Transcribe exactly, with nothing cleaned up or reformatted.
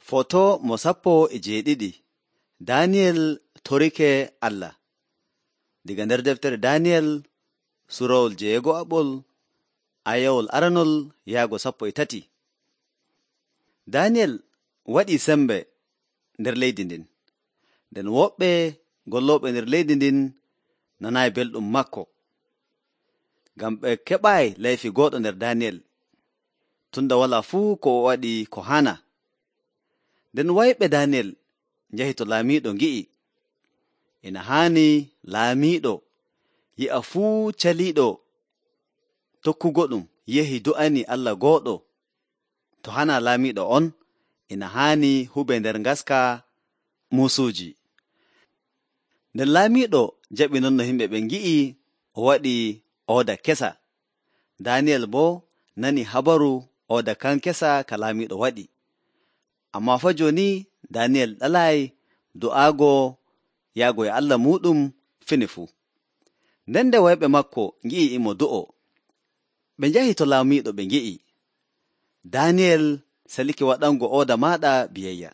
Foto mo sappo e jeeɗiɗi. Daniyel torike Allah. Diga nder deftere Daniyel surawol jeego'aɓol ayawol aranol yaago sappo e tati. Daniyel waɗii sembe nder leydi ndin. Nden woɓɓe gollooɓe nder leydi ndin nanaayi belɗum makko, ngam ɓe keɓaayi layfi gooɗo nder Daniyel, tunda walaa fuu ko o waɗi ko hana. Nden wayɓe Daniyel njahi to laamiiɗo ngi'i, ina haani laamiiɗo yi'a fuu caliiɗo tokkugo ɗum yehi do'ani Allah gooɗo. To hana laamiiɗo on, ina haani hube nder ngaska muusuuji. Nden laamiiɗo jaɓi non no yimɓe ɓe ngi'i o waɗi ooda kesa. Daniyel boo nani habaru ooda kan kesa ka laamiiɗo waɗi. Ammaa fa jooni Daniyel ɗalaayi do'aago yaago e Allah muuɗum fini fuu. Nden nde wayɓe makko ngi'i imo do'o, ɓe njahi to laamiiɗo ɓe ngi'i, Daniyel salike waɗango ooda maaɗa biyayya.